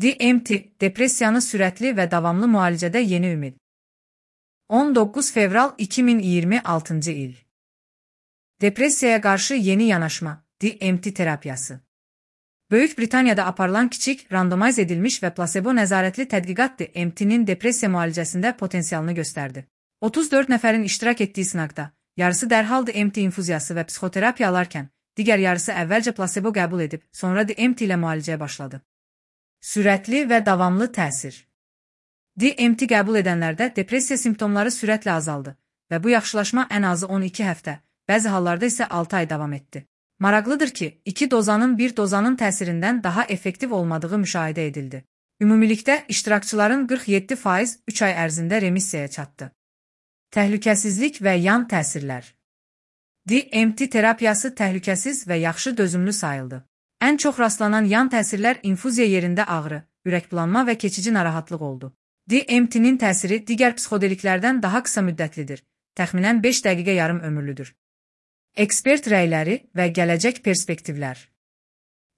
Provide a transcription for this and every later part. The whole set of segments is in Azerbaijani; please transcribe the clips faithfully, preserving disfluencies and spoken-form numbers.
D M T, depressiyanı sürətli və davamlı müalicədə yeni ümid. on doqquz fevral iki min iyirmi altıncı il. Depressiyaya qarşı yeni yanaşma, D M T terapiyası. Böyük Britaniyada aparılan kiçik, randomiz edilmiş və plasebo nəzarətli tədqiqat D M T'nin depressiya müalicəsində potensialını göstərdi. otuz dörd nəfərin iştirak etdiyi sınaqda, yarısı dərhal D M T infuziyası və psixoterapiya alarkən, digər yarısı əvvəlcə plasebo qəbul edib, sonra D M T ilə müalicəyə başladı. Sürətli və davamlı təsir. D M T qəbul edənlərdə depressiya simptomları sürətlə azaldı və bu yaxşılaşma ən azı on iki həftə, bəzi hallarda isə altı ay davam etdi. Maraqlıdır ki, iki dozanın bir dozanın təsirindən daha effektiv olmadığı müşahidə edildi. Ümumilikdə iştirakçıların qırx yeddi faiz üç ay ərzində remissiyaya çatdı. Təhlükəsizlik və yan təsirlər. D M T terapiyası təhlükəsiz və yaxşı dözümlü sayıldı. Ən çox rastlanan yan təsirlər infuziya yerində ağrı, ürəkbulanma və keçici narahatlıq oldu. D M T'nin təsiri digər psixodeliklərdən daha qısa müddətlidir, təxminən beş dəqiqə yarım ömürlüdür. Ekspert rəyləri və gələcək perspektivlər.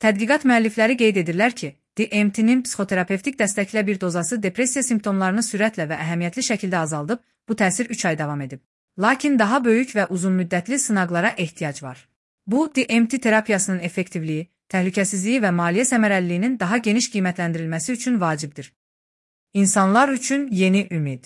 Tədqiqat müəllifləri qeyd edirlər ki, D M T'nin psixoterapevtik dəstəklə bir dozası depressiya simptomlarını sürətlə və əhəmiyyətli şəkildə azaldıb, bu təsir üç ay davam edib. Lakin daha böyük və uzunmüddətli sınaqlara ehtiyac var. Bu, D M T terapiyasının effektivliyi, təhlükəsizliyi və maliyyə səmərəliliyinin daha geniş qiymətləndirilməsi üçün vacibdir. İnsanlar üçün yeni ümid.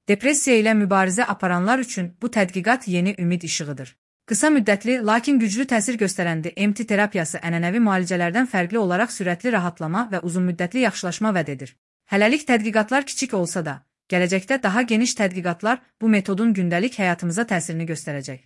Depressiya ilə mübarizə aparanlar üçün bu tədqiqat yeni ümid işığıdır. Qısa müddətli, lakin güclü təsir göstərən D M T terapiyası ənənəvi müalicələrdən fərqli olaraq sürətli rahatlama və uzunmüddətli yaxşılaşma vəd edir. Hələlik tədqiqatlar kiçik olsa da, gələcəkdə daha geniş tədqiqatlar bu metodun gündəlik həyatımıza təsirini göstərəcək.